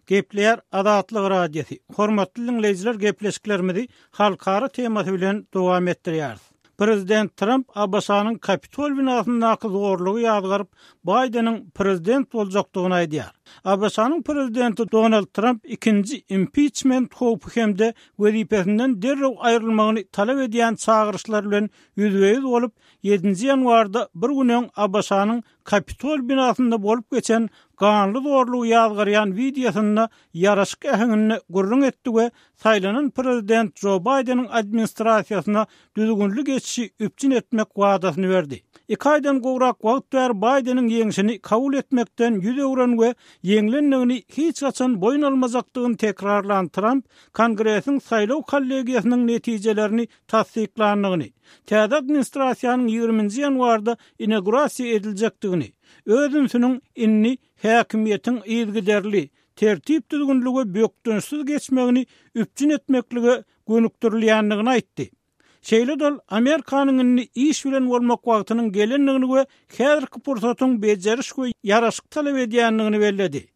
Gepleýär Azatlyk Radiosy. Hormatly diňleýjiler gepleşiklerimizi halkara temasy bilen dowam etdirýäris. Prezident Tramp ABŞ-nyň Kapitol binasyndaky zorlugy ýazgaryp, Baýdeniň prezident boljakdygyny aýdýar. ABŞ-nyň prezidenti Donald Tramp ikinji impiçment howpy hem-de wezipesinden derrew aýrylmagyny talap edýän çagyryşlar bilen ýüzbe-ýüz bolup, ýedinji ýanwarda bir gün öň ABŞ-nyň Kapitol binasynda bolup geçen ganly zorlugy ýazgarýan wideosynda ýaraşyk äheňinde gürrüň etdi we saýlanan prezident Jo Baýdeniň administrasiýasyna düzgünli geçişi üpjün etmek wadasyny berdi. Iki aýdan gowrak wagt bäri Baýdeniň ýeňşini kabul etmekden ýüz öwren we ýeňlendigini hiç haçan boýun almajakdygyny tekrarlan Tramp Kongresiň saýlaw kollegiýasynyň netijelerini tassyklandygyny, täze administrasiýanyň ýigriminji ýanwarda inaugurasiýa ediljekdigini, öz ünsüniň indi häkimiýetiň yzygiderli, tertip-düzgünli we bökdençsiz geçmegini üpjün etmeklige gönükdirilýändigini aýtdy. Şeýle-de ol Amerikanyň indi iş bilen bolmak wagtynyň gelendigini we häzirki pursatyň bejeriş we ýaraşyk talap edýändigini belledi.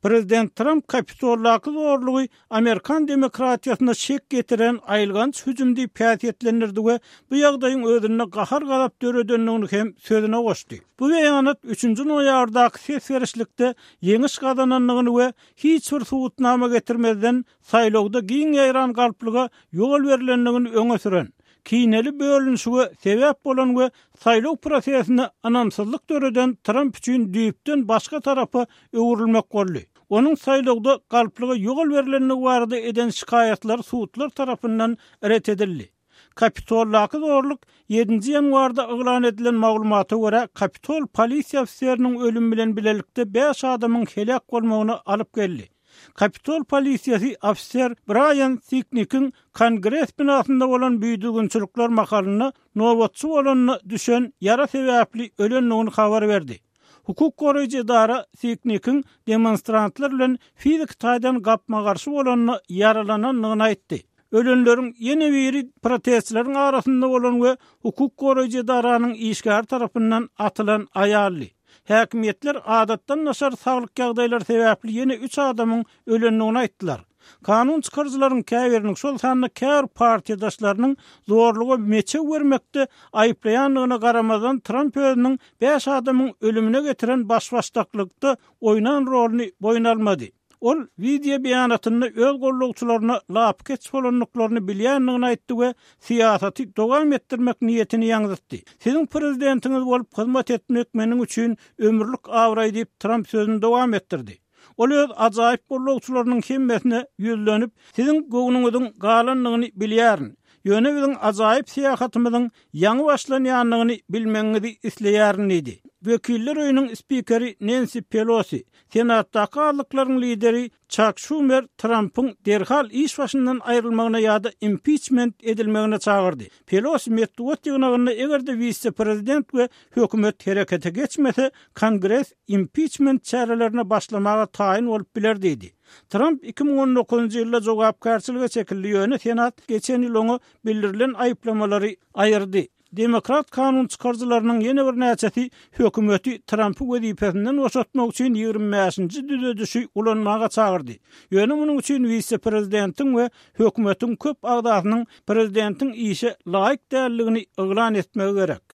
Prezident Tramp Kapitoldaky zorlugy amerikan demokratiýasyna şek getiren aýylganç hüjüm diýip häsiýetlendirdi we bu ýagdaýyň özünde gahar-gazap döredendigini hem sözüne goşdy. Bu beýanat üçünji noýabrdaky ses berişlikde ýeňiş gazanandygyny we hiç bir subutnama getirmezden saýlawda giň ýaýran galplyga ýol berlendigini öňe süren, kineli bölünişige sebäp bolan we saýlaw prosesine ynamsyzlyk döreden Tramp üçin düýpden başga tarapa öwrülmek boldy. Onuň saýlawda galplyga ýol berlendigi barada eden şikaýatlary sudlar tarapyndan ret edildi. Kapitoldaky zorluk ýedinji ýanwarda yglan edilen maglumata görä, Kapitol polisiýa ofiseriniň ölümi bilen bilelikde bäş adamyň heläk bolmagyna alyp geldi. Kapitol polisiýasy ofiser Braýan Siknikiň Kongres binasynda bolan bidüzgünçilikler mahalynda nobatçy bolanda düşen ýara sebäpli ölendigini habar berdi. Hukuk goraýjy edara Siknikiň demonstrantlar bilen fiziki taýdan gapma-garşy bolanda ýaralanandygyny aýtdy. Ölenleriň ýene biri protestçileriň arasynda bolan we hukuk goraýjy edaranyň işgäri tarapyndan atylan aýaldy. Häkimiýetler adatdan daşary saglyk ýagdaýlary sebäpli ýene üç adamyň ölendigini aýtdylar. Kanun çykaryjylaryň käbiriniň, şol sanda käbir partiýadaşlarynyň zorluga meçew bermekde aýyplaýandygyna garamazdan, Tramp özüniň bäş adamyň ölümine getiren baş-başdaklykda oýnan roluny boýun almady. Ol wideo beýanatynda öz gollagçylaryna lapykeç bolandyklaryny bilýändigini aýtdy we syýasaty dowam etdirmek niýetini ýaňzytdy. Siziň prezidentiňiz bolup hyzmat etmek meniň üçin ömürlik abraý diýip, Tramp sözüni dowam etdirdi. Ol öz ajaýyp gollagçylarynyň hemmesine ýüzlenip, Siziň göwnüňiziň galandygyny bilýärin. Ýöne biziň ajaýyp syýahatymyzyň ýaňy başlanýandygyny bilmegiňizi isleýärin diýdi. Wekiller öýüniň spikeri Nensi Pelosi, Senatdaky azlyklaryň lideri Çak Şumer Trampyň derhal iş başyndan aýrylmagyna ýa-da impiçment edilmegine çagyrdy. Pelosi metbugat ýygnagynda eger-de wise-prezident we hökümet herekete geçmese, Kongres impiçment çärelerine başlamaga taýyn bolup biler diýdi. Tramp 2019-njy ýylda jogapkärçilige çekildi, ýöne Senat geçen ýyl oňa bildirilen aýyplamalary aýyrdy. Demokrat kanun çykaryjylarynyň ýene birnäçesi hökümeti Trampy wezipesinden boşatmak üçin 25-nji düzedişi ulanmaga çagyrdy. Ýöne munuň üçin wise-prezidentiň we hökümetiň köp agzasynyň prezidentiň işe laýyk däldigini yglan etmegi gerek.